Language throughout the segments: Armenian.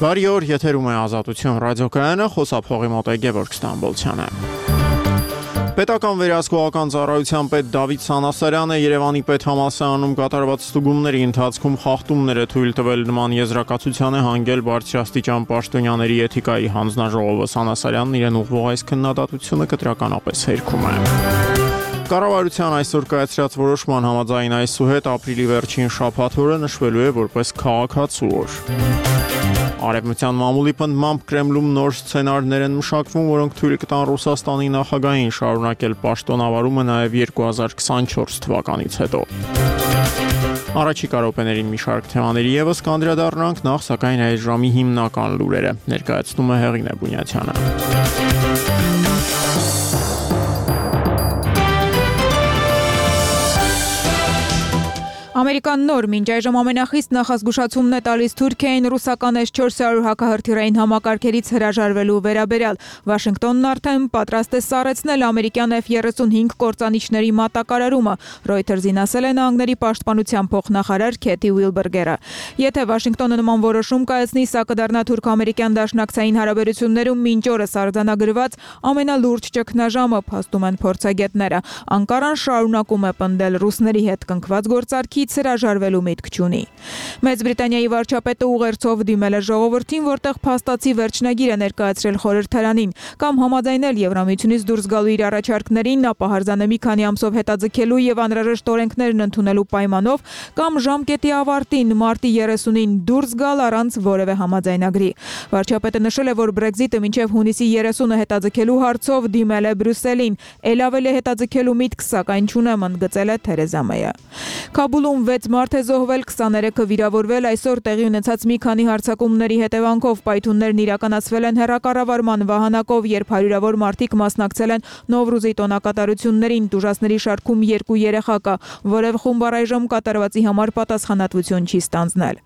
Բարի օր, եթերում է Ազատություն ռադիոկայանը, խոսափողի մոտ է Գևորգ Ստամբոլցյանը։ Պետական վերահսկողական ծառայության պետ Դավիթ Սանասարյանը Երևանի պետհամալսարանում կատարված ստուգումների ընթացքում խախտումներ է թույլ տվել նման եզրակացության է հանգել բարձրաստիճան պաշտոնյաների էթիկայի հանձնաժողովը։ Սանասարյանն իրեն ուղղող այս քննադատությունը կտրականապես հերքում է։ Կառավարության այսօր կայացրած որոշման համաձայն այսուհետ ապրիլի վերջին շաբաթ օրը նշվելու է որպես քաղաքացու օր։ Արևմտյան մամուլի պնդմամբ Կրեմլում նոր սցենարներ են մշակվում, որոնք թույլ կտան Ռուսաստանի նախագահին շարունակել պաշտոնավարումը նաև 2024 թվականից հետո։ Առաջիկա րոպեներին մի շարք թեմաների ևս կանդրադառնանք, նախ սակայն այս ժամի հիմնական լուրերը ներկայացնում է Հեղինե Բունյաթյանը։ Ամերիկան նոր մինչ այժմ ամենախիստ նախազգուշացումն է տալիս Թուրքիային ռուսական S-400 հակահրթիռային համակարգերից հրաժարվելու վերաբերյալ։ Վաշինգտոնն արդեն պատրաստ է սառեցնել ամերիկյան F-35 կործանիչների մատակարարումը, Reuters-ին ասել է Նահանգների պաշտպանության փոխնախարար Քեթի Ուիլբերգերը։ Եթե Վաշինգտոնը նման որոշում կայացնի, սա կդառնա թուրք-ամերիկյան դաշնակցային հարաբերություններում մինչ օրս արձանագրված ամենալուրջ ճգնաժամը, փաստում են փորձագետները։ Անկարան շարունակում է պնդել ռուսների հետ կնքված գործարքից հրաժարվելու միտք չունի։ Մեծ Բրիտանիայի վարչապետը ուղերձով դիմել է ժողովրդին, որտեղ փաստացի վերջնագիր է ներկայացրել խորհրդարանին, կամ համաձայնել Եվրամիությունից դուրս գալու իր առաջարկներին, ապա հրաժարվել մի քանի ամսով հետաձգելու եւ անհրաժեշտ օրենքներն ընդունելու պայմանով, կամ ժամկետի ավարտին մարտի 30-ին դուրս գալ առանց որևէ համաձայնագրի։ Վարչապետը նշել է, որ Brexit-ը մինչև հունիսի 30-ը հետաձգելու հարցով դիմել է Բրյուսելին, ել ավելի հետաձգելու միտք սակայն չունեմ, ընդգծել է Թերեզա Մեյը։ Քաբուլում 6 մարդ է զոհվել, 23-ը վիրավորվել, այսօր տեղի ունեցած մի քանի հարձակումների հետևանքով պայթուններն իրականացվել են հեռակառավարման վահանակով, երբ հարյուրավոր մարդիկ մասնակցել են Նովրուզի տոնակատարություններին, տուժածների շարքում 2 երեխա կա, որև խումբ առայժմ կատարվածի համար պատասխանատվություն չի ստանձնել։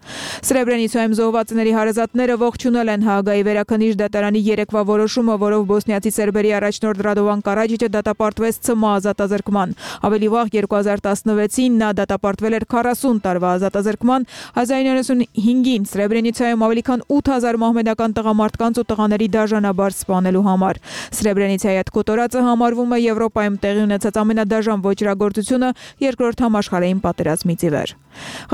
Սրեբրենիցայում զոհվածների հարազատները ողջունել են Հաագայի վերաքննիչ դատարանի երեկվա որոշումը, որով բոսնիացի սերբերի առաջնորդ Ռադովան Կարաջիչը դատապարտվեց ՑՄ ազատազրկման։ Ավելի վաղ 2016-ին նա դատապարտվել էր 40 տարվա ազատազրկման, 1995-ին Սրեբրենիցայում ավելի քան 8000 մահմեդական տղամարդկանց ու տղաների դաժանաբար սպանելու համար։ Սրեբրենիցայի այդ կոտորածը համարվում է Եվրոպայում տեղի ունեցած ամենադաժան ոճրագործությունը երկրորդ համաշխարհային պատերազմից ի վեր։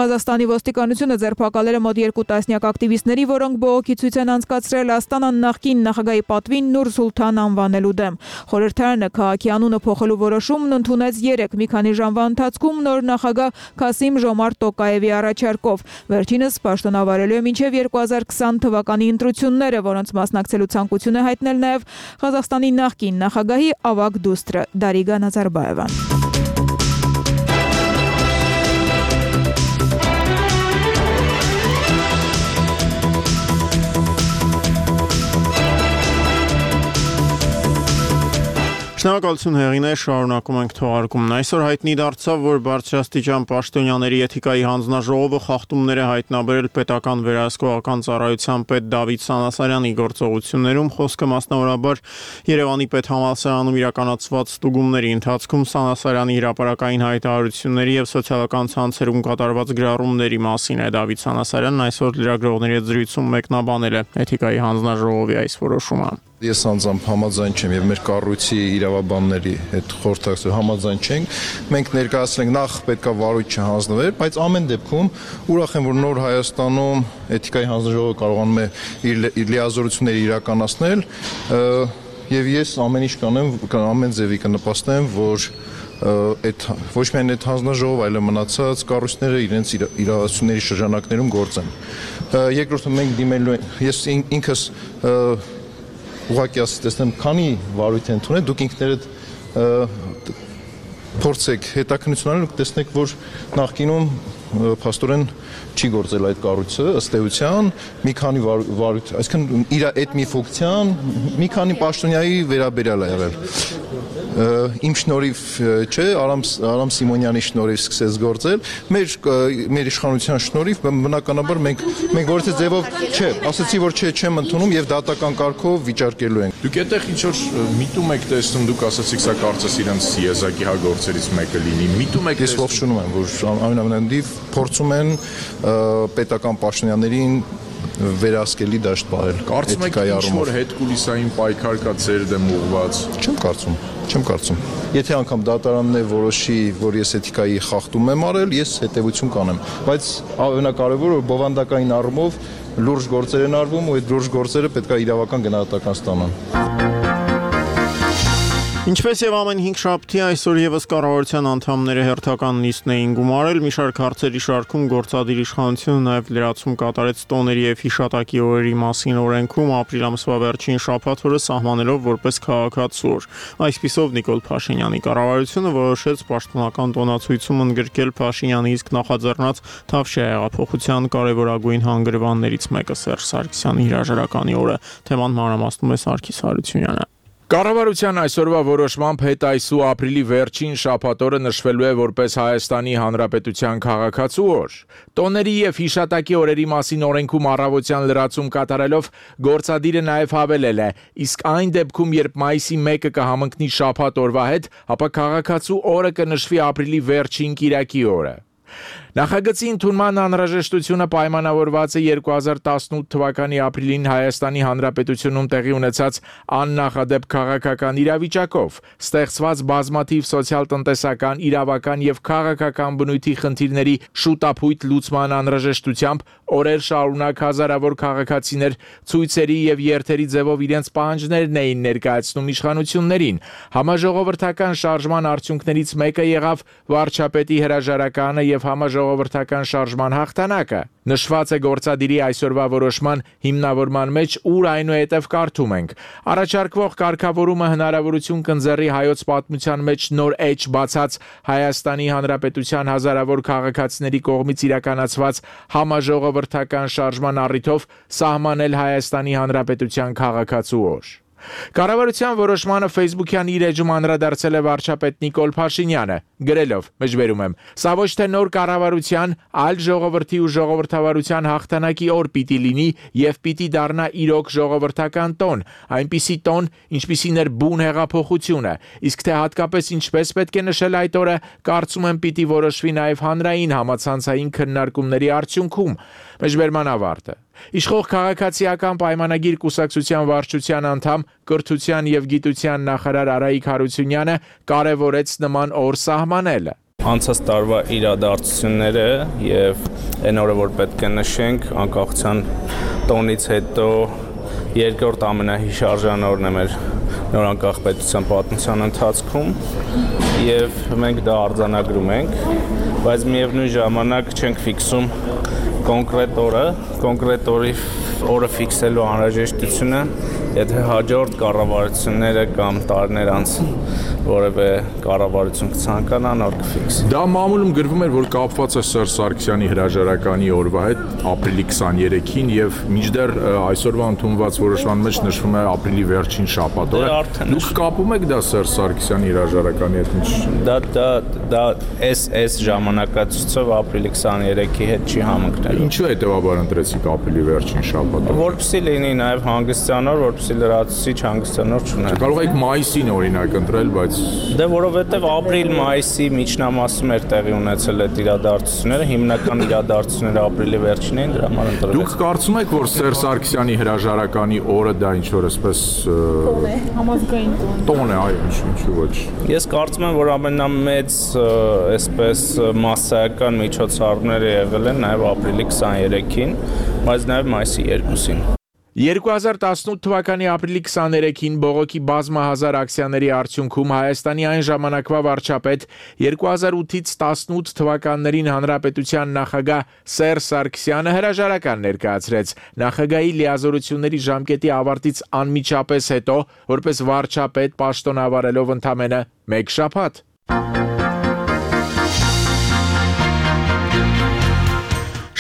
Ղազախստանի ոստիկանությունը ձերբակալել է մոտ 2 տասնյակ ակտիվիստների, որոնք բողոքի ցույց են անցկացրել Աստանան նախկին նախագահի պատվին Նուր Սուլթան անվանելու դեմ։ Խորհրդարանը քաղաքի անունը փոխելու որոշումն ընդունեց 3 մի քանի ժամվա ընթացքում նոր նախագահ Քասիմ Ժոմարտ Տոկաևի առաջարկով։ Վերջինս պաշտոնավարելու է մինչև 2020 թվականի ընտրությունները, որոնց մասնակցելու ցանկություն է հայտնել նաև Ղազախստանի նախկին նախագահի ավագ դուստրը Դարիգա Նազարբաևան։ Շնորհակալություն Հեղինե, շարունակում ենք թողարկումն։ Այսօր հայտնի դարձավ, որ բարձրաստիճան պաշտոնյաների էթիկայի հանձնաժողովը խախտումներ է հայտնաբերել պետական վերահսկողական ծառայության պետ Դավիթ Սանասարյանի գործողություններում, խոսքը մասնավորաբար Երևանի պետհամալսարանում իրականացված ստուգումների ընթացքում Սանասարյանի հրապարակային հայտարարությունների եւ սոցիալական ցանցերում կատարված գրառումների մասին է։ Դավիթ Սանասարյանն այսօր լրագրողների հետ զրույցում մեկնաբանել է էթիկայի հանձնաժողովի այս որոշումը։ Ես անձամբ համաձայն չեմ եւ մեր կառույցի իրավաբանների հետ խորհրդակցություն համաձայն չենք։ Մենք ներկայացնենք նախ պետքա վարույթ չհանձնվեր, բայց ամեն դեպքում ուրախ եմ, որ նոր Հայաստանում էթիկայի հանձնաժողովը կարողանում է իր լիազորությունները իրականացնել եւ ես ամեն ինչ կանեմ, ամեն ձևի կնպաստեմ, որ այդ ոչ միայն այդ հանձնաժողովը, այլ մնացած կառույցները իրենց իրավասությունների շրջանակներում գործեն։ Երկրորդը մենք դիմելու ենք, ես ինքս ուղղակի ասեմ, քանի վարույթ են ընդունել, դուք ինքներդ փորձեք հետաքննություն անել ու տեսնեք, որ նախկինում փաստորեն չի գործել այդ կառույցը ըստ էության մի քանի վարույթ, այսինքն իր այդ մի ֆունկցիան մի քանի պաշտոնյայի վերաբերյալ է եղել։ Իմ շնորհիվ չէ, Արամ Սիմոնյանի շնորհիվ սկսեց գործել, մեր իշխանության շնորհիվ բնականաբար մենք որից ձևով չէ, ասացի որ չեմ ընդունում եւ դատական կարգով վիճարկելու ենք։ Դուք այդտեղ ինչ որ միտում եք տեսնում, դուք ասացիք սա կարծես իրենց եզակի հագործերից մեկը լինի։ Միտում եք։ Ես ողջունում եմ, որ այնուամենայնիվ փորձում են պետական պաշտոնյաներին վերահսկելի դաշտ պահել։ Կարծում եք ինչ-որ հետկուլիսային պայքար կա ձեր դեմ ուղղված։ Չեմ կարծում։ Եթե անգամ դատարանն է որոշի, որ ես էթիկայի խախտում եմ արել, ես հետևություն կանեմ, բայց ամենակարևորը որ բովանդակային առումով լուրջ գործեր են արվում ու այդ լուրջ գործերը պետք է իրավական գնահատական ստանան։ Ինչպես եւ ամեն 5 շաբթի այսօր եւս կառավարության անդամները հերթական նիստն էին գումարել, մի շարք հարցերի շարքում գործադիր իշխանությունը նաեւ լրացում կատարեց տոների եւ հիշատակի օրերի մասին օրենքում ապրիլ ամսվա վերջին շաբաթօրը սահմանելով որպես քաղաքացու օր։ Այսպիսով Նիկոլ Փաշինյանի կառավարությունը որոշեց պաշտոնական տոնացույցում ընդգրկել Փաշինյանի իսկ նախաձեռնած Թավշյա հեղափոխության կարևորագույն հանգրվաններից մեկը Սերժ Սարգսյանի հրաժարականի օրը։ Թեման մանրամասնում է Սարգիս Հարությունյանը։ Կառավարության այսօրվա որոշմամբ հետ այսու ապրիլի վերջին շաբաթօրը նշվելու է որպես Հայաստանի Հանրապետության քաղաքացու օր։ Տոների եւ հիշատակի օրերի մասին օրենքում առավոտյան լրացում կատարելով գործադիրը նաեւ հավելել է. իսկ այն դեպքում, երբ մայիսի 1-ը կհամընկնի շաբաթ օրվա հետ, ապա քաղաքացու օրը կնշվի ապրիլի վերջին կիրակի օրը։ Նախագծի ընդունման անհրաժեշտությունը պայմանավորված է 2018 թվականի ապրիլին Հայաստանի Հանրապետությունում տեղի ունեցած աննախադեպ քաղաքական իրավիճակով, ստեղծված բազմաթիվ սոցիալ-տնտեսական, իրավական եւ քաղաքական բնույթի խնդիրների շուտապույտ լուծման անհրաժեշտությամբ օրեր շարունակ հազարավոր քաղաքացիներ ցույցերի եւ երթերի ձևով իրենց պահանջներն էին ներկայացնում իշխանություններին։ Համաժողովրդական շարժման արդյունքներից մեկը եղավ վարչապետի հրաժարականը եւ համաժողովրդական շարժման հաղթանակը։ Նշված է գործադիրի այսօրվա որոշման հիմնավորման մեջ, ուր այնուհետև կարդում ենք. առաջարկվող կարգավորումը հնարավորություն կընձեռի հայոց պատմության մեջ նոր էջ բացած Հայաստանի Հանրապետության հազարավոր քաղաքացիների կողմից իրականացված համաժողովրդական շարժման առիթով սահմանել Հայաստանի Հանրապետության քաղաքացու օր։ Կառավարության որոշմանը Facebook-յան իր էջում անդրադարձել է վարչապետ Նիկոլ Փաշինյանը, գրելով. «Մեջբերում եմ. Սա ոչ թե նոր կառավարության, այլ ժողովրդի ու ժողովրդավարության հաղթանակի օր պիտի լինի եւ պիտի դառնա իրոք ժողովրդական տոն, այնպիսի տոն, ինչպիսին էր բուն հեղափոխությունը, իսկ թե հատկապես ինչպես պետք է նշել այդ օրը, կարծում եմ պիտի որոշվի նաեւ հանրային համացանցային քննարկումների արդյունքում»։ Մեջբերման ավարտը։ Իշխող քաղաքացիական պայմանագիր կուսակցության վարչության անդամ, կրթության եւ գիտության նախարար Արայիկ Հարությունյանը կարևորեց նման օր սահմանելը։ Անցած տարվա իրադարձությունները եւ այն օրը, որ պետք է նշենք, անկախության տոնից հետո երկրորդ ամենահիշարժան օրն է մեր նոր անկախ պետության պատմության ընթացքում եւ մենք դա արձանագրում ենք, բայց միևնույն ժամանակ չենք ֆիքսում կոնկրետ օրը ֆիքսելու անհրաժեշտությունը, եթե հաջորդ կառավարությունները կամ տարիներ անց որևէ կառավարություն կցանկանան, որ կֆիքսի։ Դա մամուլում գրվում էր, որ կապված է Սերժ Սարգսյանի հրաժարականի օրվա հետ ապրիլի 23-ին եւ մինչդեռ այսօրվա ընդունված որոշման մեջ նշվում է ապրիլի վերջին շաբաթ օրը։ Դուք կապում եք դա Սերժ Սարգսյանի հրաժարականի հետ ինչ։ Դա այս ժամանակացույցով ապրիլի 23-ի հետ չի համընկնելու։ Ինչու հետեւաբար ընտրեցիք ապրիլի վերջին շաբաթը։ Որպեսզի լինի նաեւ հանգստյան օր, որպեսզի լրացուցիչ հանգստյան օր չունենա։ Կարող եք մայիսին օրինակ ընտրել, բայց Դե որովհետեւ ապրիլ-մայիսի միջնամասում էր տեղի ունեցել այդ իրադարձությունները, հիմնական իրադարձությունները ապրիլի վերջին էին, դրա համար ընտրել։ Դուք կարծում եք, որ Սերժ Սարգսյանի հրաժարականի օրը դա ինչ որ այսպես համազգային տոն է, այո, ինչու ոչ։ Ես կարծում եմ, որ ամենամեծ այսպես մասսայական միջոցառումները եղել են նաեւ ապրիլի 23-ին, բայց նաեւ մայիսի 2-ին։ 2018 թվականի ապրիլի 23-ին բողոքի բազմահազար ակցիաների արդյունքում Հայաստանի այն ժամանակվա վարչապետ 2008-ից 18 թվականներին հանրապետության նախագահ Սերժ Սարգսյանը հրաժարական ներկայացրեց նախագահի լիազորությունների ժամկետի ավարտից անմիջապես հետո, որպես վարչապետ պաշտոնավարելով ընդամենը 1 շաբաթ։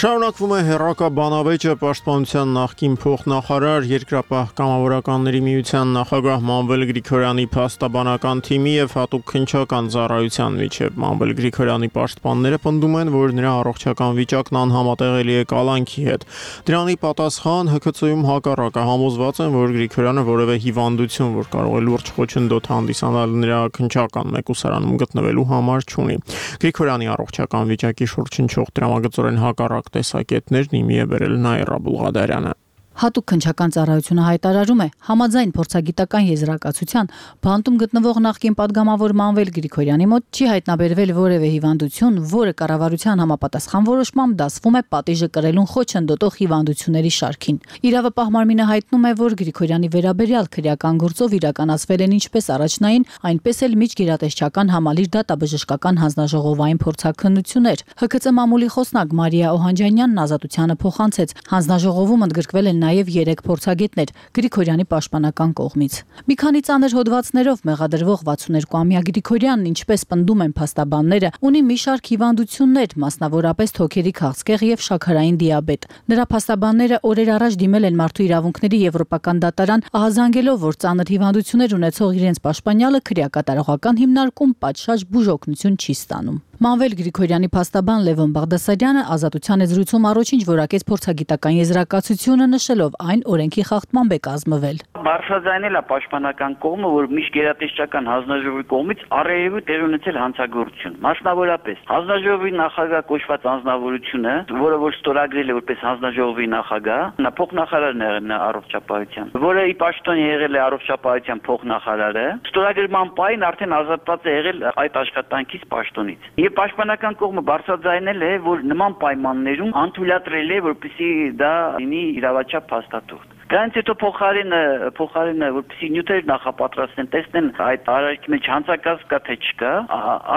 Շարունակվում է հերրակա բանավեճը պաշտպանության նախկին փոխնախարար Երկրապահ կամավորականների միության նախագահ Մանվել Գրիգորյանի փաստաբանական թիմի եւ հատուկ քննչական ծառայության միջև։ Մանվել Գրիգորյանի պաշտպանները պնդում են, որ նրա առողջական վիճակն անհամատեղելի է կալանքի հետ։ Դրանի պատասխան ՀՔՑ-ում հակառակը համոզված են, որ Գրիգորյանը որևէ հիվանդություն, որ կարող է լուրջ խոչընդոտ հանդիսանալ նրա քննչական մեկուսարանում գտնվելու համար չունի։ Գրիգորյանի առողջական վիճակի շուրջ հնչող դրամագծորեն հակառակ միակ տեսակետներն իմի է բերել Նաիրա Բուլղադարյանը։ Հատուկ քննչական ծառայությունը հայտարարում է, համաձայն փորձագիտական եզրակացության, բանտում գտնվող նախկին падգամավոր Մանվել Գրիգորյանի մոտ չի հայտնաբերվել որևէ հիվանդություն, որը կառավարության համապատասխան որոշմամբ դասվում է պատիժը կրելուն խոչընդոտող հիվանդությունների շարքին։ Իրավապահ մարմինը հայտնում է, որ Գրիգորյանի վերաբերյալ քրեական գործով իրականացվել են ինչպես առաջնային, այնպես էլ միջգերատեսչական համալիր դատաբժշկական հանձնաժողովային փորձաքննություններ։ ՀՔԾ մամուլի խոսնակ Մարիա Օհանջանյանն ազատությանը փոխանցեց, հանձնաժողովում ընդգրկվել են նաև 3 փորձագետներ Գրիգորյանի պաշտպանական կողմից։ Մի քանի ծանր հոդվածներով մեղադրվող 62-ամյա Գրիգորյանն, ինչպես պնդում են փաստաբանները, ունի մի շարք հիվանդություններ, մասնավորապես թոքերի քաղցկեղ եւ շաքարային դիաբետ։ Նրա փաստաբանները օրեր առաջ դիմել են Մարդու իրավունքների եվրոպական դատարան, ահազանգելով, որ ծանր հիվանդություններ ունեցող իրենց պաշտպանյալը քրեակատարողական հիմնարկում պատշաճ բուժօգնություն չի ստանում։ Մանվել Գրիգորյանի փաստաբան Լևոն Բաղդասարյանը ազատության զրույցում առաջինչ որակեց փորձագիտական եզրակացությունը, նշելով այն օրենքի խախտմամբ է կազմվել։ Բարձրաձայնել է պաշտպանական կողմը, որ միջգերատեսչական հանձնաժողովի կողմից առերևույթ տեղ ունեցել հանցագործություն։ Մասնավորապես հանձնաժողովի նախագահ կոչված անձնավորությունը, որը որ ստորագրել է որպես հանձնաժողովի նախագահ, նա փոխնախարարն է առողջապահության, որը ի պաշտոն եղել է առողջապահության փոխնախարարը, ստորագրման պահին արդեն ազատված է եղել այդ աշխատանքից պաշտոնից։ Եվ պաշտպանական կողմը բարձրաձայնել է, որ նման պայմաններում անթույլատրել է, որպեսզի դա լինի իրավաչափ փաստաթուղթ։ Դրանից հետո փոխարենը որպեսզի նյութեր նախապատրաստեն, տեսնեն այդ արարքի մեջ հանցակաց կա թե չկա,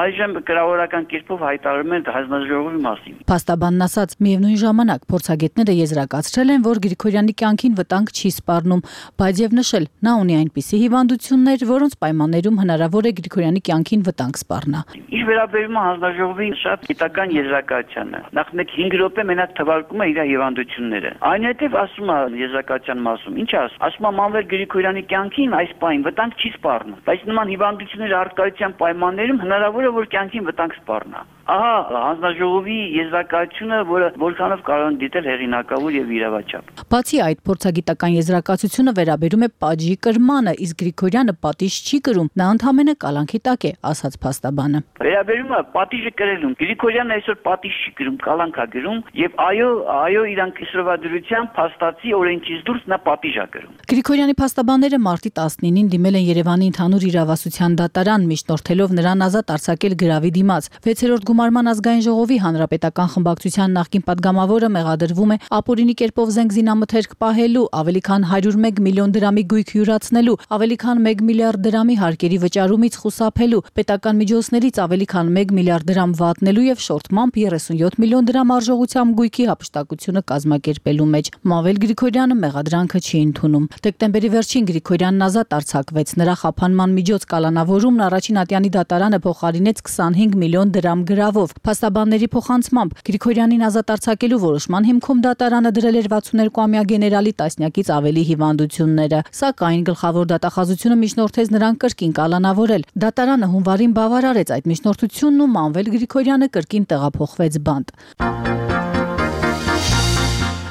այժմ կրավորական կերպով հայտարարում են հանձնաժողովի մասին։ Փաստաբանն ասաց, միևնույն ժամանակ փորձագետները եզրակացրել են, որ Գրիգորյանի կյանքին վտանգ չի սպառնում, բայց եւ նշել, նա ունի այնպիսի հիվանդություններ, որոնց պայմաններում հնարավոր է Գրիգորյանի կյանքին վտանգ սպառնա։ Ինչ վերաբերում է հանձնաժողովի շատ գիտական եզրակացությանը, նախ 5 րոպե մենակ թվարկում է իր հիվանդությունները։ Այնուհետև ասում է եզրակացության մասում, ինչ ասում է Մանվել Գրիգորյանի կյանքին այս պահին վտանգ չի սպառնում, բայց նման հիվանդությունների առկայության պայմաններում հնարավոր է, որ կյանքին վտանգ սպառնա։ Ահա հանձնաժողովի եզրակացությունը, որը որքանով կարող են դիտել հեղինակավոր եւ իրավաչափ։ Բացի այդ, փորձագիտական եզրակացությունը վերաբերում է պատժի կրմանը, իսկ Գրիգորյանը պատիժ չի կրում, նա ընդհանրապես կալանքի տակ է, ասաց փաստաբանը։ Վերաբերում է պատիժը կրելուն, Գրիգորյանը այսօր պատիժ չի կրում, կալանք է գրում եւ այո իրանք իսրովադրության փաստացի օրենքից դուրս նա պատիժ է կրում։ Գրիգորյանի փաստաբանները մարտի 19-ին դիմել են Երևանի ընդհանուր իրավասության դատարան, միջնորդելով նրան ազատ արձակել գրավի դիմաց։ 6-րդ Գումարման ազգային ժողովի հանրապետական խմբակցության նախկին падգամավորը մեղադրվում է ապօրինի կերպով զենք զինամթերք պահելու, ավելի քան 101 միլիոն դրամի գույք յուրացնելու, ավելի քան 1 միլիարդ դրամի հարկերի վճարումից խուսափելու, պետական միջոցներից ավելի քան 1 միլիարդ դրամ վատնելու եւ շորթմամբ 37 միլիոն դրամ արժողությամբ գույքի հափշտակությունը կազմակերպելու մեջ։ Մանվել Գրիգորյանը մեղադրանքը չի ընդունում։ Դեկտեմբերի վերջին Գրիգորյանն ազատ արձակվեց։ Նրա խափանման միջոց կալանավորումն առաջին ատյանի դատարանը փոխարինեց 25 միլիոն դրամ գրավով։ Փաստաբանների փոխանցմամբ Գրիգորյանին ազատ արձակելու որոշման հիմքում դատարանը դրել էր 62-ամյա գեներալի տասնյակից ավելի հիվանդությունները, սակայն գլխավոր դատախազությունը միջնորդեց նրան կրկին կալանավորել։ Դատարանը հունվարին բավարարեց այդ միջնորդությունն ու Մանվել Գրիգորյանը կրկին տեղափոխվեց բանտ։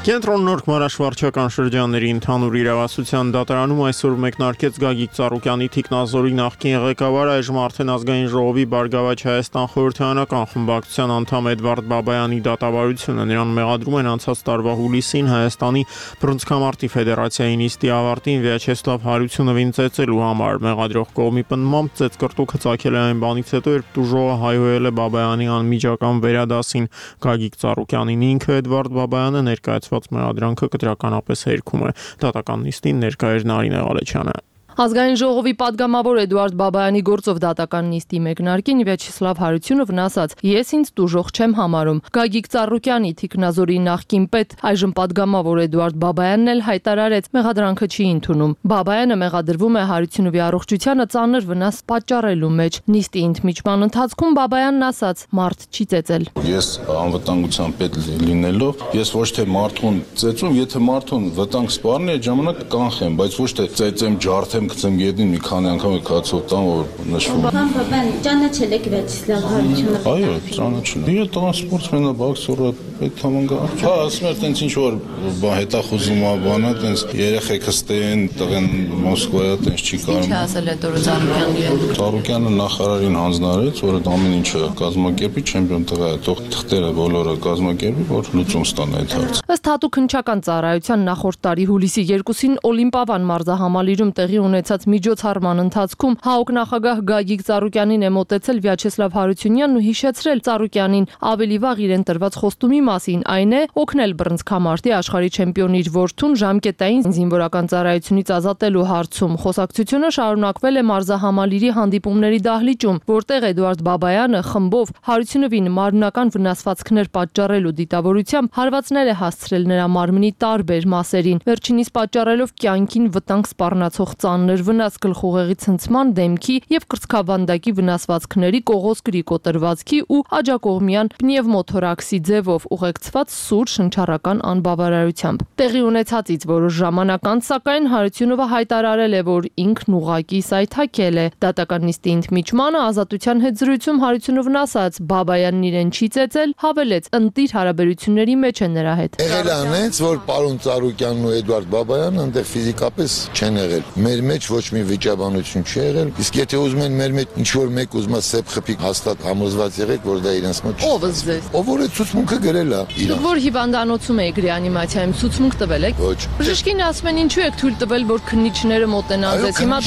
Կենտրոն Նորք մարաշվարչական շրջանների ընդհանուր իրավասության դատարանում այսօր մեկնարկեց Գագիկ Ծառուկյանի Թիկնազորի նախկին ղեկավար, այժմ արդեն ազգային ժողովի Բարգավաճ Հայաստան խորհրդարանական խմբակցության անդամ Էդվարդ Բաբայանի դատավարությունը։ Նրան մեղադրում են անցած տարվա հուլիսին Հայաստանի բռնցքամարտի ֆեդերացիայի նիստի ավարտին Վիաչեսլավ Հարությունովին ծեծելու համար։ Մեղադրող կողմի պնդմամբ ծեծկրտուքը ծագել է այն բանից հետո, երբ տուժողը հայհոյել է Բաբայանի անմիջական վերադասին։ Գագիկ Ծառուկյանին ինքը Էդվարդ Բաբայանը ներկայացված մեղադրանքը կտրականապես հերքում է։ Դատական նիստին ներկա էր Նարինե Ղալեչյանը։ Ազգային ժողովի падգամավոր Էդուարդ Բաբայանի գործով դատական նիստի մեկնարկին Վիաչեսլավ Հարությունովն ասաց. «Ես ինձ տուժող չեմ համարում»։ Գագիկ Ծառուկյանի Թիկնազորի նախկին պետ, այժմ падգամավոր Էդուարդ Բաբայանն էլ հայտարարեց, մեղադրանքը չի ընդունում։ Բաբայանը մեղադրվում է Հարությունովի առողջությանը ծանր վնաս պատճառելու մեջ։ Նիստի ընդմիջման ընթացքում Բաբայանն ասաց. «Մարդ չի ծեծել»։ Ես անվտանգության պետ լինելով, ես ոչ թե մարդուն ծեծում, եթե մարդուն վտանգ սպառնի, այդ ժամանակ կանխեմ, բայց ոչ թե ծեծեմ, ջարդեմ դեմ գցեմ գետին մի քանի անգամ է կացով տան որ նշվում։ Բան ճանաչել եք Վյաչեսլավ Հարությունը։ Այո, ճանաչել։ Իր տղան սպորտսմեն է, բոքսոր է, այդ համանգա։ Հա, ասում էր տենց ինչ որ բան հետախուզում է, բանա տենց երեխեքը ստեն, տղեն Մոսկվայա տենց չի կարող։ Ինչ ասել է Տորո Ծառուկյանին։ Ծառուկյանը նախարարին հանձնարարեց, որ այդ ամեն ինչը կազմակերպի չեմպիոն տղա է, թող թղթերը բոլորը կազմակերպի, որ լուծում ստանա այդ հարցը։ Ըստ Հատուկ քննչական ծառայության նախորդ տարի հուլիսի 2-ին Օլիմպիավան մարզահամալիրում տեղի ունեցած միջոցառման ընթացքում ՀԱՕԿ նախագահ Գագիկ Ծառուկյանին է մոտեցել Վյաչեսլավ Հարությունյանն ու հիշեցրել Ծառուկյանին ավելի վաղ իրեն տրված խոստումի մասին, այն է օգնել բռնցքամարտի աշխարհի չեմպիոնի իր որդուն ժամկետային զինվորական ծառայությունից ազատելու հարցում։ Խոսակցությունը շարունակվել է մարզահամալիրի հանդիպումների դահլիճում, որտեղ Էդուարդ Բաբայանը խմբով Հարությունովին մարմնական վնասվածքներ պատճառելու դիտավորությամբ հարվածներ է հասցրել նրա մարմնի տարբեր մասերին, վերջինիս պատճառելով կյանքին վտանգ սպառնացող ծանր վնաս գլխուղեղի ցնցման, դեմքի եւ կրծքավանդակի վնասվածքների, կողոսկրի կոտրվածքի ու աջակողմյան պնևմոթորաքսի ձևով ուղեկցված սուր շնչառական անբավարարությամբ։ Տեղի ունեցածից որոշ ժամանակ անց, սակայն Հարությունովը հայտարարել է, որ ինքն ուղակի սայթաքել է։ Դատական նիստի ընդմիջմանը ազատության հետ զրույցում Հարությունովն ասաց, Բաբայանն իրեն չի ծեծել, հավելեց, ընտիր հարաբերությունների մեջ է նրա հետ։ Եղել է անենց, որ պարոն Ծառուկյանն ու Էդուարդ Բաբայանը այնտեղ ֆիզիկապես չեն եղել։ Մեր մեջ ոչ մի վիճաբանություն չի եղել։ Իսկ եթե ուզում են մեր մեջ ինչ որ մեկ ուզում է սեփ խփիկ հաստատ համոզված եղեք, որ դա իրենց մոտ Ո՞վ զվեց։ Ով որ է ցուցմունքը գրել է իրան։ Որ հիվանդանոցում եք ռեանիմացիայում ցուցմունք տվել եք։ Ոչ։ Բժիշկին ասում են ինչու եք թույլ տվել, որ քննիչները մոտենան ձեզ։ Հիմա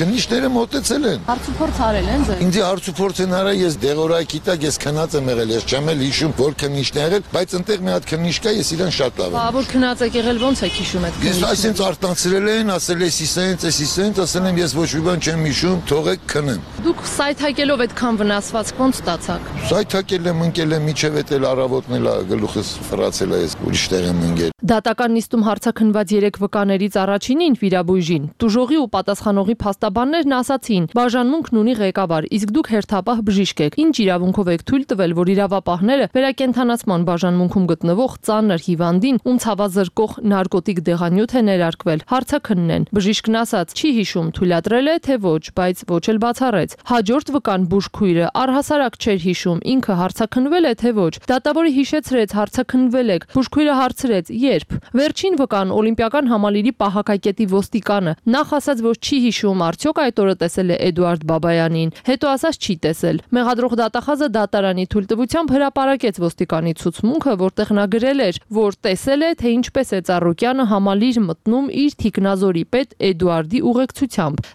քննիչները մոտեցել են։ հարցուփորձ արել են ձեզ։ Ինձ հարցուփորձ են արել, ես դեղորայքի տակ ես քնած եմ եղել, ես չեմ էլ հիշում, որ քննիչն է եղել, բայց այնտեղ մի հատ քննիչ կա, ես իրան շատ լավ եմ։ Որ քնած եք եղել, ոնց եք հիշում այդ Ես այսինքն արտանցրել են, ասել ես իսենց, ասել եմ ես ոչ մի բան չեմ հիշում, թողեք քնեմ։ Դուք սայթակելով այդքան վնասվածք ոնց ստացաք։ Սայթակել եմ, ընկել եմ, միջև էլ առավոտն էլ գլուխս ֆրացել է, ես ուրիշ տեղ եմ ընկել։ Դատական նիստում հարցաքննված 3 վկաներից առաջինին վիրաբույժին տուժողի ու պատասխանողի փաստաբաններն ասացին. բաժանմունքն ունի ղեկավար, իսկ դուք հերթապահ բժիշկ եք։ Ինչ իրավունքով եք թույլ տվել, որ իրավապահները վերակենդանացման բաժանմունքում գտնվող ծանր հիվանդին, ում ցավազրկող նարկոտիկ դեղանյութ է ներարկվել, հարցաքննեն։ Բժիշկն ասաց, չի հիշում, թույլատրել է թե ոչ, բայց ոչ էլ բացառեց։ Հաջորդ վկան բուժքույրը առհասարակ չէր հիշում, ինքը հարցաքննվել է թե ոչ։ Դատավորը հիշեցրեց, հարցաքննվել եք։ Բուժքույրը հարցրեց, երբ։ Վերջին վկան օլիմպիական համալիրի պահակակետի ոստիկանը նախ ասաց, որ չի հիշում, արդյոք այդ օրը տեսել է Էդուարդ Բաբայանին, հետո ասաց չի տեսել։ Մեղադրող դատախազը դատարանի թույլտվությամբ հրապարակեց ոստիկանի ցուցմունքը, որտեղ նա գրել էր, որ տեսել է, թե ինչպես է Ծառուկյանը համալիր մտնում իր թիկնազորի պետ Էդուարդի ուղեկցությամբ։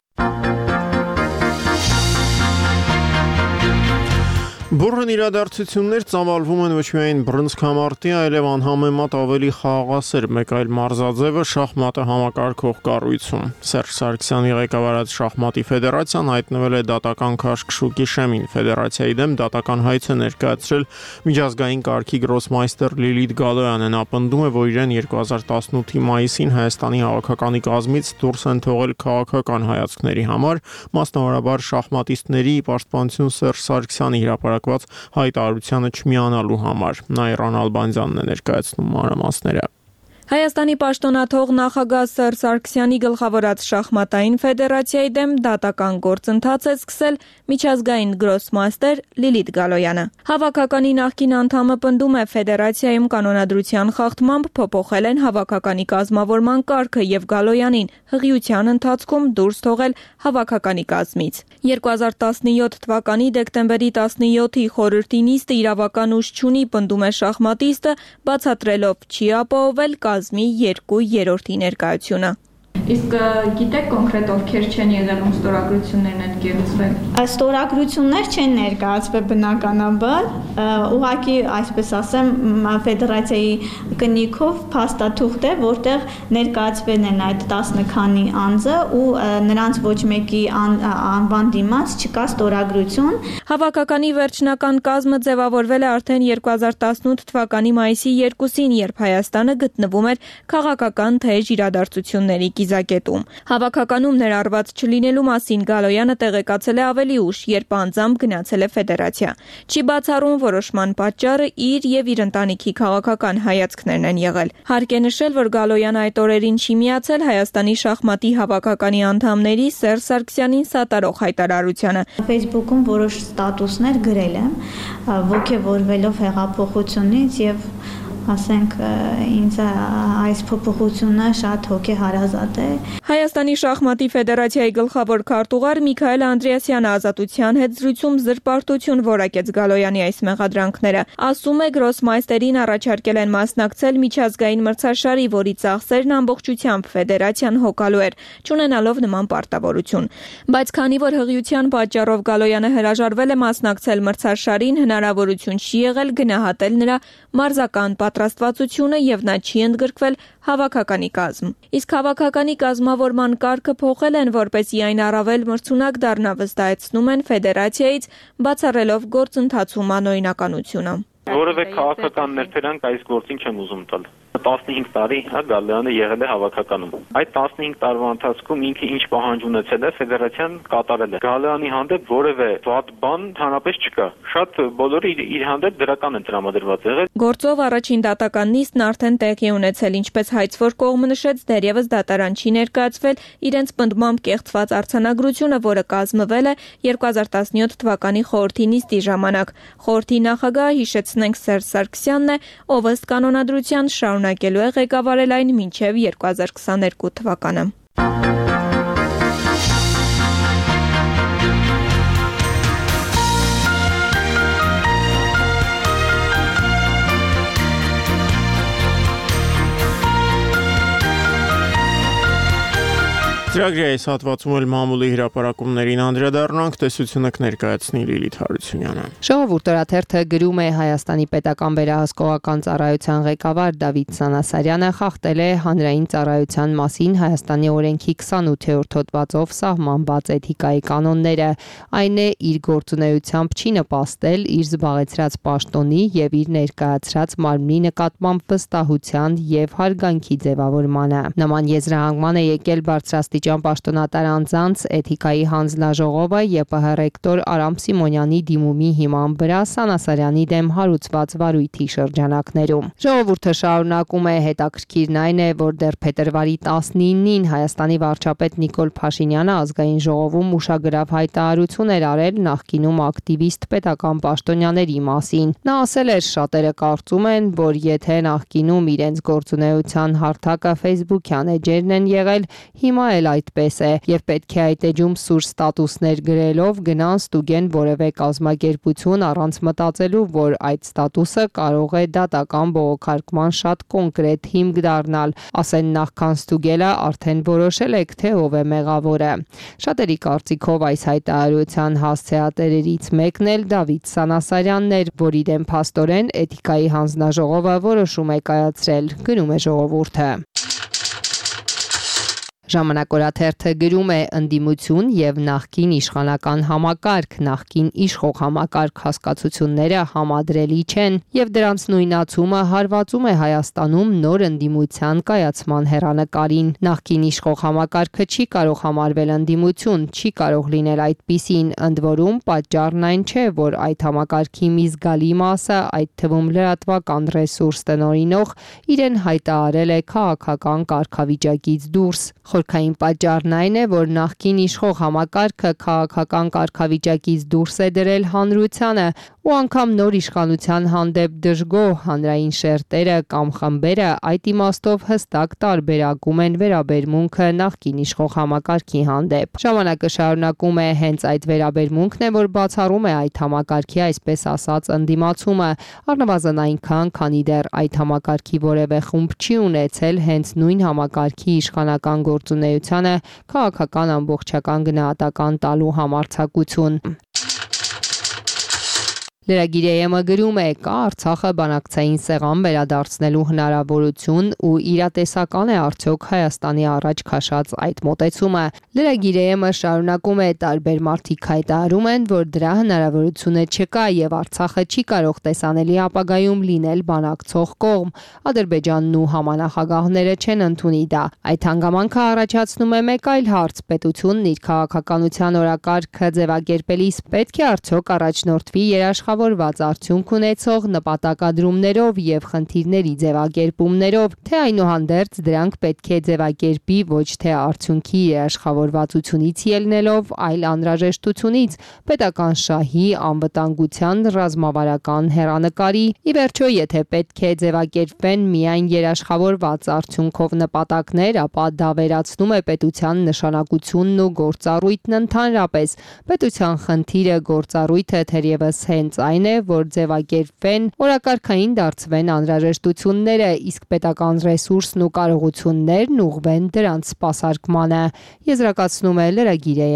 Բուրըն իրադարձություններ ծավալվում են ոչ միայն բռնցքամարտի, այլև անհամեմատ ավելի խաղաղասեր մեկ այլ մարզաձևը շախմատը համակարգող կառույցում։ Սերժ Սարգսյանի ղեկավարած շախմատի ֆեդերացիան հայտնվել է դատական քաշքշուկի շեմին։ Ֆեդերացիայի դեմ դատական հայց է ներկայացրել միջազգային կարգի գրոսմայստեր Լիլիթ Գալոյանը։ Նա պնդում է, որ իրեն 2018-ի մայիսին Հայաստանի հավաքականի կազմից դուրս են թողել քաղաքական հայացքների համար, մասնավորաբար շախմատիստների պաշտպանություն Սերժ Սարգսյանի հրապարակված հայտարարությանը չմիանալու համար։ Նայրան Ալբանդյանն է ներկայացնում մանրամասները։ Հայաստանի պաշտոնաթող նախագահ Սերժ Սարգսյանի գլխավորած շախմատային ֆեդերացիայի դեմ դատական գործընթաց է սկսել միջազգային գրոսմաստեր Լիլիթ Գալոյանը։ Հավաքականի նախկին անդամը պնդում է, ֆեդերացիայում կանոնադրության խախտմամբ փոփոխել են հավաքականի կազմավորման կարգը եւ Գալոյանին հղիության ընթացքում դուրս թողել հավաքականի կազմից։ 2017 թվականի դեկտեմբերի 17-ի խորհրդի նիստը իրավական ուժ չունի, պնդում է շախմատիստը, բացատրելով չի ապահովել կազմի 2/3 ներկայությունը։ Իսկ գիտեք կոնկրետ ովքեր չեն եղել, ում ստորագրություններն են կերուցվել։ Ստորագրություններ չեն ներկայացվել բնականաբար, ուղղակի այսպես ասեմ, ֆեդերացիայի կնիքով փաստաթուղթ է, որտեղ ներկայացվել են այդ 10 քանի անձը ու նրանց ոչ մեկի անվան դիմաց չկա ստորագրություն։ Հավաքականի վերջնական կազմը ձևավորվել է արդեն 2018 թվականի մայիսի 2-ին, երբ Հայաստանը գտնվում էր քաղաքական թեժ իրադարձությունների կիզակետին։ Խաչաճակետում։ Հավաքականում ներառված չլինելու մասին Գալոյանը տեղեկացել է ավելի ուշ, երբ անձամբ գնացել է ֆեդերացիա։ Չի բացառում որոշման պատճառը իր եւ իր ընտանիքի քաղաքական հայացքներն են եղել։ Հարկ է նշել, որ Գալոյանը այդ օրերին չի միացել Հայաստանի շախմատի հավաքականի անդամների Սերժ Սարգսյանին սատարող հայտարարությանը։ Facebook-ում որոշ ստատուսներ գրել եմ, ոգևորվելով հեղափոխությունից եւ ասենք ինձ այս փոփոխությունը շատ հոգեհարազատ է։ Հայաստանի շախմատի ֆեդերացիայի գլխավոր քարտուղար Միքայել Անդրեասյանը Ազատության հետ զրույցում զրպարտություն որակեց Գալոյանի այս մեղադրանքները։ Ասում է, գրոսմայստերին առաջարկել են մասնակցել միջազգային մրցաշարի, որի ծախսերն ամբողջությամբ ֆեդերացիան հոգալու էր, չունենալով նման պարտավորություն։ Բայց քանի որ հղիության պատճառով Գալոյանը հրաժարվել է մասնակցել մրցաշարին, հնարավորություն չի եղել գնահատել նրա մարզական պատրաստվածությունը եւ նա չի ընդգրկվել հավաքականի կազմ։ Իսկ հավաքականի կազմավորման կարգը փոխել են, որպեսզի այն առավել մրցունակ դառնա, վստահեցնում են ֆեդերացիայից, բացառելով գործընթացում անօրինականությունը։ Որևէ քաղաքական ներդրանք այս գործին չեմ ուզում տալ։ 15 տարի Գալոյանը եղել է հավաքականում։ Այդ 15 տարվա ընթացքում ինքը ինչ պահանջ ունեցել է, ֆեդերացիան կատարել է։ Գալոյանի հանդեպ որևէ վատ բան հանրապես չկա։ Շատ բոլորը իր հանդեպ դրական են տրամադրված եղել։ Գործով առաջին դատական նիստն արդեն տեղի ունեցել, ինչպես հայցվոր կողմը նշեց, դեռևս դատարան չի ներկայացվել իրենց պնդմամբ կեղծված արձանագրությունը, որը կազմվել է 2017 թվականի խորհրդի նիստի ժամանակ։ Խորհրդի նախագահը, հիշեցնենք, Սերժ Սարգսյանն է, ով ըստ կանոնադրության շարունակելու է ղեկավարել այն մինչև 2022 թվականը։ Ծրագրի այս հատվածում էլ մամուլի հրապարակումներին անդրադառնանք, տեսությունը կներկայացնի Լիլիթ Հարությունյանը։ Ժողովուրդ օրաթերթը գրում է Հայաստանի պետական վերահսկողական ծառայության ղեկավար Դավիթ Սանասարյանը խախտել է հանրային ծառայության մասին Հայաստանի օրենքի 28-րդ հոդվածով սահմանված էթիկայի կանոնները, այն է իր գործունեությամբ չի նպաստել իր զբաղեցրած պաշտոնի եւ իր ներկայացրած մարմնի նկատմամբ վստահության եւ հարգանքի ձևավորմանը։ Նման եզրահանգման է եկել բարձրաստիճան պաշտոնատար անձանց էթիկայի հանձնաժողովը ԵՊՀ ռեկտոր Արամ Սիմոնյանի դիմումի հիման վրա Սանասարյանի դեմ հարուցված վարույթի շրջանակներում։ Ժողովուրդը շարունակում է, հետաքրքիրն այն է, որ դեռ փետրվարի 19-ին Հայաստանի վարչապետ Նիկոլ Փաշինյանը ազգային ժողովում ուշագրավ հայտարարություն էր արել նախկինում ակտիվիստ պետական պաշտոնյաների մասին։ Նա ասել էր, շատերը կարծում են, որ եթե նախկինում իրենց գործունեության հարթակը Facebook-յան էջերն են եղել, հիմա էլ այդպես է եւ պետք է այդ էջում սուր ստատուսներ գրելով գնան ստուգեն որևէ կազմակերպություն առանց մտածելու, որ այդ ստատուսը կարող է դատական բողոքարկման շատ կոնկրետ հիմք դառնալ, ասեն նախքան ստուգելը արդեն որոշել եք, թե ով է մեղավորը։ Շատերի կարծիքով այս հայտարարության հասցեատերերից մեկն էլ Դավիթ Սանասարյանն էր, որի դեմ փաստորեն էթիկայի հանձնաժողովը որոշում է կայացրել, գրում է ժողովուրդը։ Ժամանակ օրաթերթը գրում է ընդդիմություն եւ նախկին իշխանական համակարգ, նախկին իշխող համակարգ հասկացությունները համադրելի չեն եւ դրանց նույնացումը հարվածում է Հայաստանում նոր ընդդիմության կայացման հեռանկարին։ Նախկին իշխող համակարգը չի կարող համարվել ընդդիմություն, չի կարող լինել այդպիսին, ընդ որում պատճառն այն չէ, որ այդ համակարգի մի զգալի մասը, այդ թվում լրատվական ռեսուրս տնօրինող, իրեն հայտարարել է քաղաքական կարգավիճակից դուրս։ Խորքային պատճառն այն է, որ նախկին իշխող համակարգը քաղաքական կարգավիճակից դուրս է դրել հանրությանը ու անգամ նոր իշխանության հանդեպ դժգոհ հանրային շերտերը կամ խմբերը այդ իմաստով հստակ տարբերակում են վերաբերմունքը նախկին իշխող համակարգի հանդեպ։ Ժամանակը շարունակում է, հենց այդ վերաբերմունքն է, որ բացառում է այդ համակարգի այսպես ասած ընդդիմացումը, առնվազն այնքան, քանի դեռ այդ համակարգի որևէ խումբ չի ունեցել հենց նույն համակարգի իշխանական գործունեությանը քաղաքական ամբողջական գնահատական տալու համարձակություն։ Լրագիրը գրում է, կա Արցախը բանակցային սեղան վերադարձնելու հնարավորություն ու իրատեսական է արդյոք Հայաստանի առաջ քաշած այդ մոտեցումը։ Լրագիրը շարունակում է, տարբեր մարդիկ հայտարարում են, որ դրա հնարավորությունը չկա եւ Արցախը չի կարող տեսանելի ապագայում լինել բանակցող կողմ։ Ադրբեջանն ու համանախագահները չեն ընդունի դա։ Այդ հանգամանքը առաջացնում է մեկ այլ հարց. պետությունն իր քաղաքականության օրակարգը ձևակերպելիս պետք է արդյոք առաջնորդվի երաշխավորված արդյունք ունեցող նպատակադրումներով եւ խնդիրների ձևակերպումներով, թե այնուհանդերձ դրանք պետք է ձևակերպի ոչ թե արդյունքի երաշխավորվածությունից ելնելով, այլ անհրաժեշտությունից, պետական շահի, անվտանգության, ռազմավարական հեռանկարի։ Ի վերջո, եթե պետք է ձևակերպվեն միայն երաշխավորված արդյունքով նպատակներ, ապա դա վերացնում է պետության նշանակությունն ու գործառույթն ընդհանրապես։ Պետության խնդիրը գործառույթը թերևս հենց այն է, որ ձևակերպվեն, օրակարգային դարձվեն անհրաժեշտությունները, իսկ պետական ռեսուրսն ու կարողություններն ուղղվեն դրանց սպասարկմանը, եզրակացնում է լրագիրը։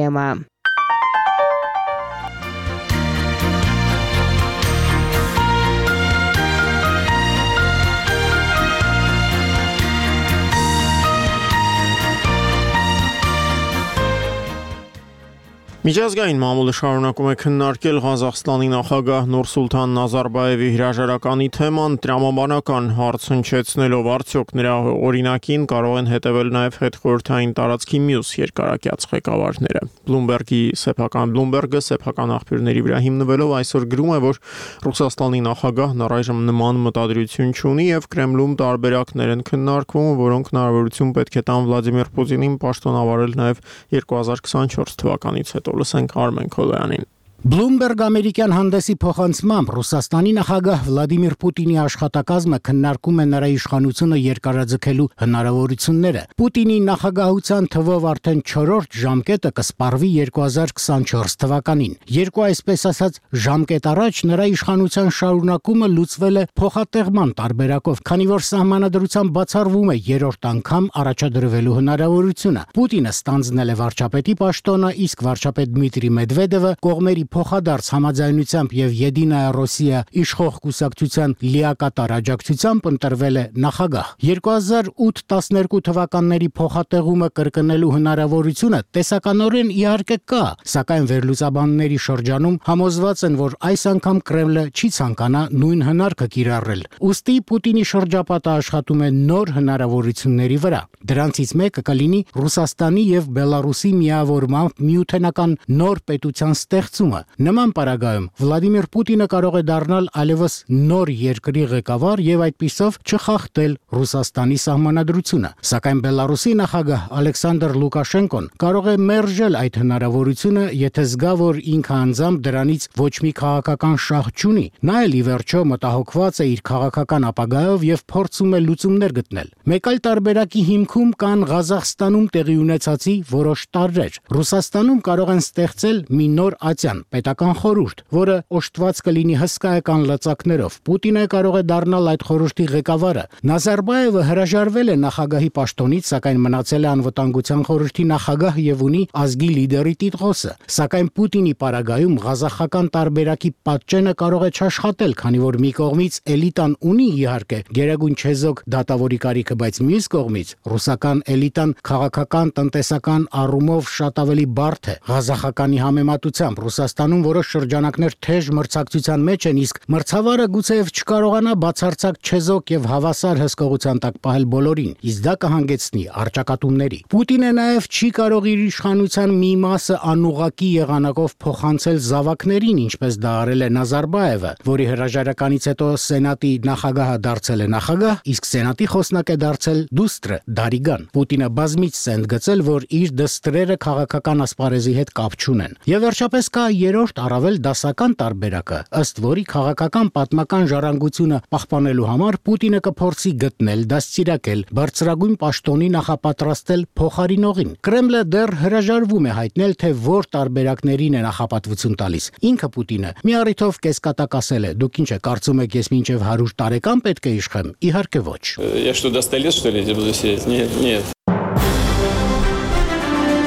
Միջազգային մամուլը շարունակում է քննարկել Ղազախստանի նախագահ Նուրսուլտան Նազարբաևի հրաժարականի թեման, տրամաբանական հարց հնչեցնելով արդյոք նրա օրինակին կարող են հետևել նաև հետխորհրդային տարածքի մյուս երկարակյաց ղեկավարները։ Բլումբերգը սեփական աղբյուրների վրա հիմնվելով այսօր գրում է, որ Ռուսաստանի նախագահն առայժմ նման մտադրություն չունի եւ Կրեմլում տարբերակներ են քննարկվում, որոնք հնարավորություն պետք է տան Վլադիմիր Պուտինին պաշտոնավարել նաև 2024 թվականից հետո։ Լսենք Արմեն Քոլոյանին։ Bloomberg ամերիկյան հանդեսի փոխանցմամբ Ռուսաստանի նախագահ Վլադիմիր Պուտինի աշխատակազմը քննարկում է նրա իշխանությունը երկարաձգելու հնարավորությունները։ Պուտինի նախագահության թվով արդեն 4-րդ ժամկետը կսպառվի 2024 թվականին։ Երկու այսպես ասած ժամկետ առաջ նրա իշխանության շարունակումը լուծվել է փոխատեղման տարբերակով, քանի որ սահմանադրությամբ բացառվում է երրորդ անգամ առաջադրվելու հնարավորությունը։ Պուտինը ստանձնել է վարչապետի պաշտոնը, իսկ վարչապետ Դմիտրի Մեդվեդևը կողմերի փոխադարձ համաձայնությամբ եւ Եդինայա Ռոսիա իշխող կուսակցության լիակատար աջակցությամբ ընտրվել է նախագահ։ 2008-12 թվականների փոխատեղումը կրկնելու հնարավորությունը տեսականորեն իհարկե կա, սակայն վերլուծաբանների շրջանում համոզված են, որ այս անգամ Կրեմլը չի ցանկանա նույն հնարքը կիրառել։ Ուստի Պուտինի շրջապատը աշխատում է նոր հնարավորությունների վրա։ Դրանցից մեկը կլինի Ռուսաստանի եւ Բելարուսի միավորմամբ միութենական նոր պետության ստեղծումը։ Նման պարագայում Վլադիմիր Պուտինը կարող է դառնալ այլևս նոր երկրի ղեկավար եւ այդպիսով չխախտել Ռուսաստանի սահմանադրությունը։ Սակայն Բելարուսի նախագահ Ալեքսանդր Լուկաշենկոն կարող է մերժել այդ հնարավորությունը, եթե զգա, որ ինքը անձամբ դրանից ոչ մի քաղաքական շահ չունի։ Նա էլ ի վերջո մտահոգված է իր քաղաքական ապագայով եւ փորձում է լուծումներ գտնել։ Մեկ այլ տարբերակի հիմքում կան Ղազախստանում տեղի ունեցածի որոշ տարրեր։ Ռուսաստանում կարող են ստեղծել մի նոր ատյան պետական խորհուրդ, որը օժտված կլինի հսկայական լծակներով։ Պուտինը կարող է դառնալ այդ խորհրդի ղեկավարը։ Նազարբաևը հրաժարվել է նախագահի պաշտոնից, սակայն մնացել է անվտանգության խորհրդի նախագահ եւ ունի ազգի լիդերի տիտղոսը։ Սակայն Պուտինի պարագայում ղազախական տարբերակի պատճենը կարող է չաշխատել, քանի որ մի կողմից էլիտան ունի իհարկե գերագույն չեզոք դատավորի կարիքը, բայց մյուս կողմից ռուսական էլիտան քաղաքական, տնտեսական առումով շատ ավելի բարդ է։ Ղազախականի համեմատությամբ Ռուսաստանում որոշ շրջանակներ թեժ մրցակցության մեջ են, իսկ մրցավարը գուցեև չկարողանա բացարձակ չեզոք եւ հավասար հսկողության տակ պահել բոլորին, իսկ դա կհանգեցնի առճակատումների։ Պուտինը նաեւ չի կարող իր իշխանության մի մասը անուղակի եղանակով փոխանցել զավակներին, ինչպես դա արել է Նազարբաևը, որի հրաժարականից հետո Սենատի նախագահը դարձել է նախագահ, իսկ Սենատի խոսնակ է դարձել դուստրը Դարիգան։ Պուտինը բազմիցս է ընդգծել, որ իր դստրերը քաղաքական ասպարեզի հետ կապ չունեն։ Եվ վերջապես կա երրորդ առավել դասական տարբերակը, ըստ որի քաղաքական պատմական ժառանգությունը պահպանելու համար Պուտինը կփորձի գտնել, դաստիարակել, բարձրագույն պաշտոնի նախապատրաստել փոխարինողին։ Կրեմլը դեռ հրաժարվում է հայտնել, թե որ տարբերակներին է նախապատվություն տալիս։ Ինքը Պուտինը մի առիթով կեսկատակ ասել է. «Դուք ինչ եք կարծում եք, ես մինչև 100 տարեկան պետք է իշխեմ»։ Իհարկե ոչ։ Я что, до 100 лет, что ли, буду сидеть? Нет, нет.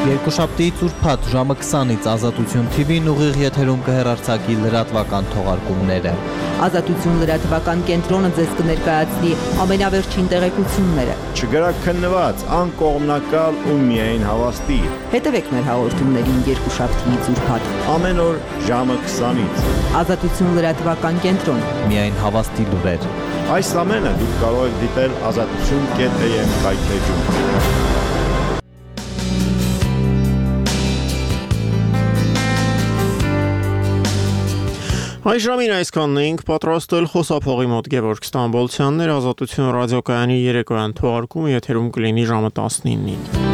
Երկուշաբթիից ուրբաթ ժամը 20-ից Ազատություն TV-ն ուղիղ եթերում կհեռարձակի լրատվական թողարկումները։ Ազատություն լրատվական կենտրոնը ձեզ կներկայացնի ամենավերջին տեղեկությունները։ Չգրաքննված, անկողմնակալ ու միայն հավաստի։ Հետևեք մեր հաղորդումներին երկուշաբթիից ուրբաթ ամեն օր ժամը 20-ից։ Ազատություն լրատվական կենտրոն։ Միայն հավաստի լուրեր։ Այս ամենը դուք կարող եք դիտել azatutun.am կայքեջում։ Այժմին այսքանն էինք պատրաստել խոսափողի մոտ Գևորգ Ստամբոլցյաններ, Ազատություն ռադիոկայանի երեկոյան թողարկումը եթերում կլինի ժամը 19-ին։